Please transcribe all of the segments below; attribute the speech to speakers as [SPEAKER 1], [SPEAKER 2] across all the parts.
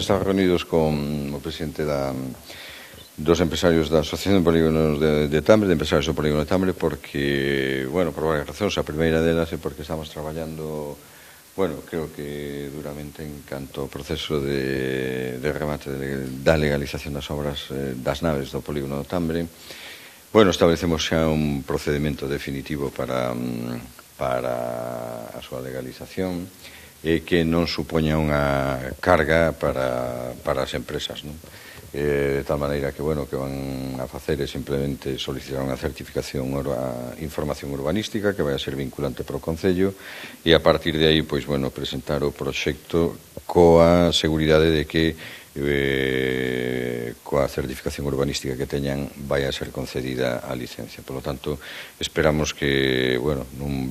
[SPEAKER 1] Estamos reunidos con o presidente dos empresarios da Asociación de Polígonos de Tambre, de empresarios do Polígono de Tambre, porque, bueno, por varias razóns. A primeira delas é porque estamos traballando, bueno, creo que duramente en canto ao proceso de remate da legalización das obras das naves do Polígono de Tambre. Bueno, establecemos xa un procedimento definitivo para a súa legalización e que non supoña unha carga para as empresas, non? De tal maneira que, bueno, que van a facer é simplemente solicitar unha certificación, información urbanística que vai a ser vinculante para o Concello e a partir de aí, pois, bueno, presentar o proxecto coa seguridade de que coa certificación urbanística que teñan vai a ser concedida a licencia. Por lo tanto, esperamos que, bueno, nun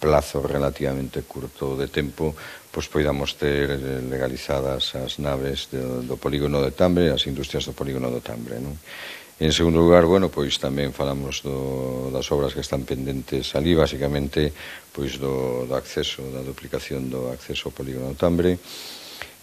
[SPEAKER 1] plazo relativamente curto de tempo, pois poidamos ter legalizadas as naves do Polígono de Tambre, as industrias do Polígono do Tambre, non? En segundo lugar, bueno, pois tamén falamos das obras que están pendentes ali, basicamente, pois do acceso, da duplicación do acceso ao Polígono do Tambre,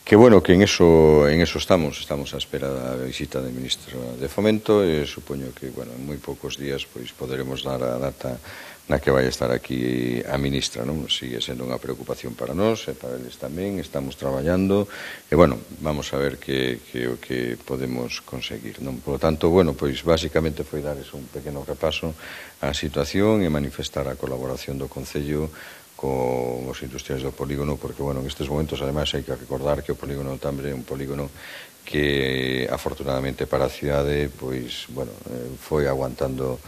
[SPEAKER 1] que, bueno, que en eso estamos á espera da visita do Ministro de Fomento e supoño que, bueno, en moi poucos días pois poderemos dar a data na que vai estar aquí a ministra, non? Sigue sendo unha preocupación para nós e para eles tamén, estamos traballando e, bueno, vamos a ver que o que podemos conseguir, non? Por lo tanto, bueno, pois basicamente foi darles un pequeno repaso á situación e manifestar a colaboración do Concello con os industriais do polígono, porque, bueno, en estes momentos, ademais, hai que recordar que o Polígono do Tambre é un polígono que, afortunadamente para a cidade, pois, bueno, foi aguantando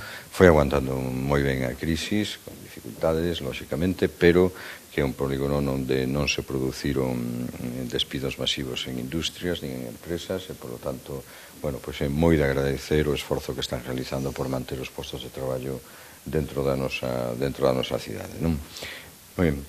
[SPEAKER 1] moi ben a crisis, con dificultades, lóxicamente, pero que é un polígono onde non se produciron despidos masivos en industrias nin en empresas e, por lo tanto, bueno, pois é moi de agradecer o esforzo que están realizando por manter os postos de traballo dentro da nosa cidade, non? Moi ben,